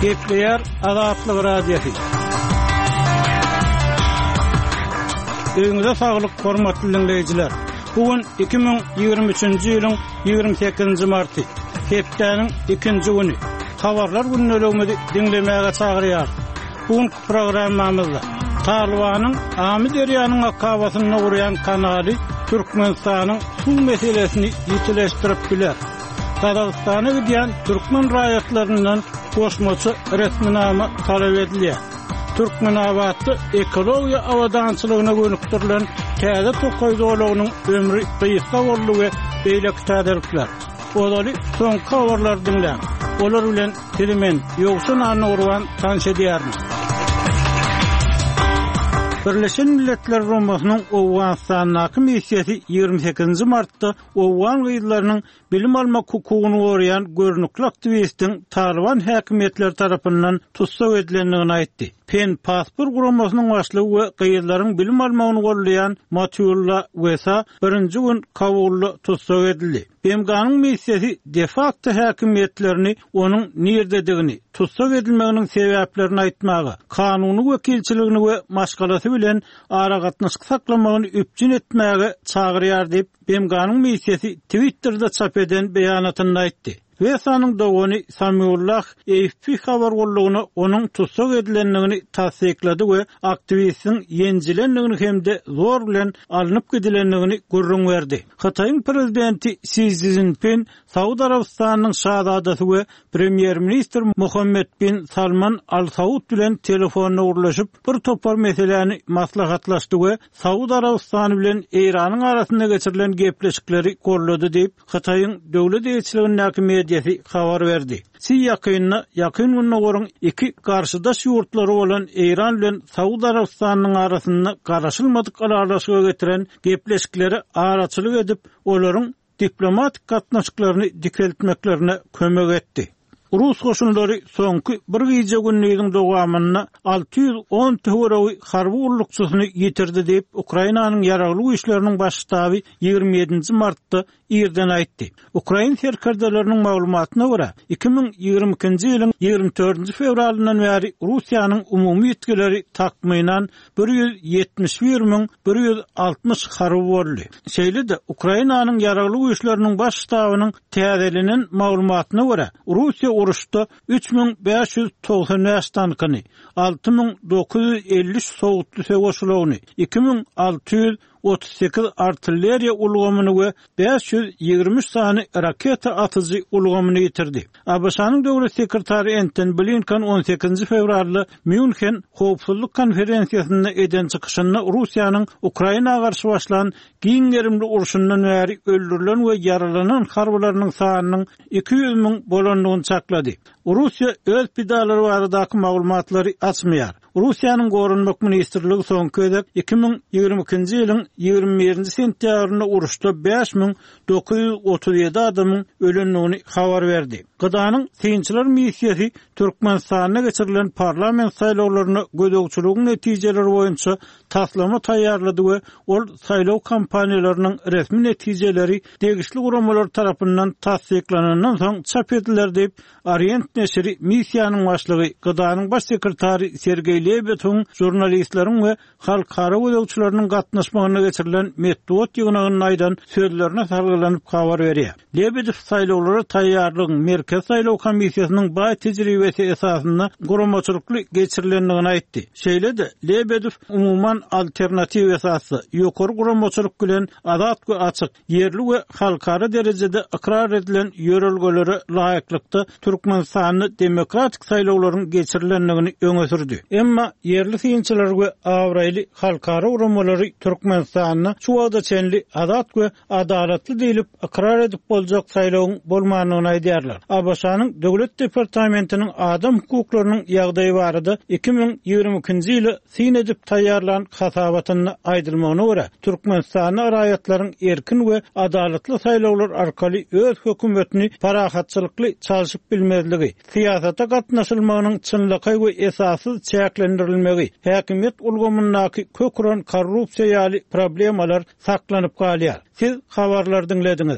Gepleýär Azatlyk Radiosy. Öýüňize saglyk, hormatly diňleýjiler! Bu gün 2023-nji ýylyň 28-nji marty, hepdäniň ikinji güni. Habarlar gündeligimizi diňlemäge çagyrýarys. Bu günki programmamyzda Talybanyň Amyderýanyň akabasynda gurýan kanaly Türkmenistanyň suw meselesini ýitileşdirip biler. Gazagystana gidýän türkmen raýatlaryndan goşmaça resminama talap edilýär. Türkmenabatda ekologiýa abadançylygyna gönükdirilen täze tokaý zolagynyň ömri gysga boldy we beýleki täzelikler. Ozaly soňky habarlary diňläň. Olar bilen sizi men, Ýowşan Annagurban tanyş edýärin. Birleşen Milletler Guramasynyň Owganystandaky missiýasy 28-nji martda owgan gyzlarynyň bilim almak hukugyny goraýan görnükli aktiwistiň Talyban häkimiýetleri tarapyndan tussag edilendigini aýtdy. Pen Paspor guramasynyň başlygy we gyzlaryň bilim almagyny goldaýan Matiulla Wesa birinji gün Kabulda tussag edildi. BMG-niň missiýasy de-fakto häkimiýetlerini onuň nirededigini, tussag edilmeginiň sebäplerini aýtmaga, kanuny wekilçiligini we maşgalasy bilen aragatnaşyk saklamagyny üpjün etmäge çagyrýar diýip, BMG-niň missiýasy Twitterde çap eden beýanatynda aýtdy. Wesanyň dogany Samiullah AFP habar gullugyna onuň tussag edilendigini tassyklady we aktiwistiň ýenjilendigini hem-de zor bilen alnyp gidilendigini gürrüň berdi. Hytaýyň prezidenti Si Szinpin Saud Arabystanynyň şazadasy we premýer-ministr Muhammed bin Salman Al Saud bilen telefonda gürleşip, bir topar meseläni maslahatlaşdy we Saud Arabystany bilen Eýranyň arasynda geçirilen gepleşikleri goldady diýip, Hytaýyň döwlet eýeçiligindäki mediasy habar berdi. Si ýakynda Ýakyn Gündogaryň iki garşydaş ýurtlary bolan Eýran bilen Saud Arabystanynyň arasynda garaşylmadyk ylalaşyga getiren gepleşiklere araçylyk edip, olaryň diplomatik gatnaşyklaryny dikeltmeklerine kömek etdi. Rus goşunlary soňky bir gije-gündiziň dowamynda 610 töweregi harby gullukçysyny ýitirdi diýip, Ukrainanyň Ýaragly Güýçleriniň Baş ştaby 27-nji martda irden aýtdy. Ukrain serkerdeleriniň maglumatyna görä, 2022-nji ýylyň 24-nji fewralyndan bäri Russiýanyň umumy ýitgileri takmynan 171 160 harby boldy. Şeýle-de, Ukrainanyň Ýaragly Güýçleriniň Baş ştabynyň täzelenen maglumatyna görä, Russiýa uruşda 3595 tankyny, 6953 sowutly söweş ulagyny, 2638 artilleriýa ulgamyny we 523 sany raketa atyjy ulgamyny ýitirdi. ABŞ-nyň döwlet sekretary Entoni Blinken on sekizinji fewralda Mýunhen howpsuzlyk konferensiýasynda eden çykyşynda Russiýanyň Ukraina garşy başlan giň gerimli urşundan bäri öldürilen we ýaralanan harbylarynyň sanynyň 200 müň bolandygyny çaklady. Russiýa öz pidalary baradaky maglumatlary açmaýar. Russiýanyň Goranmak ministrligi soňky gezek 2022-nji ýylyň 21-nji sentýabrynda uruşda 5937 adamyň ölendigini habar berdi. GDA-nyň synçylar missiýasy Türkmenistanda geçirilen parlament saýlawlaryna gözegçiligiň netijeleri boýunça taslama taýýarlady we ol saýlaw kampaniýalarynyň resmi netijeleri degişli guramalar tarapyndan tassyklanandan soň çap ediler diýip, Orient neşiri missiýanyň başlygy, GDA-nyň baş sekretary Sergeý Lebedewiň žurnalistleriň we halkara gözegçileriniň gatnaşmagynda geçirilen metbugat ýygnagynda aýdan sözlerine salgylanyp habar berýär. Lebedew saýlawlara taýýarlygyň Merkezi saýlaw komissiýasynyň baý tejribesi esasynda guramaçylykly geçirilendigini aýtdy. Şeýle-de, Lebedew umuman alternatiw esasda, ýokary guramaçylyk bilen azat we açyk, ýerli we halkara derejede ykrar edilen ýörelgelere laýyklykda Türkmenistanda demokratik saýlawlaryň geçirilendigini öňe sürdi. Emma ýerli synçylar we abraýly halkara guramalary Türkmenistanda şu wagta çenli azat we adalatly diýlip ykrar edip boljak saýlawyň bolmandygyny aýdýarlar. ABŞ-nyň Döwlet departamentiniň adam hukuklarynyň ýagdaýy barada 2022-nji ýyla syn edip taýýarlan hasabatynda aýdylmagyna görä, Türkmenistanda raýatlaryň erkin we adalatly saýlawlar arkaly öz hökümetini parahatçylykly çalşyp bilmezligi, syýasata gatnaşylmagynyň çynlakaý we esassyz çäklendirilmegi, häkimiýet ulgamyndaky kök uran korrupsiýa ýaly problemalar saklanyp galýar. Siz habarlary diňlediňiz.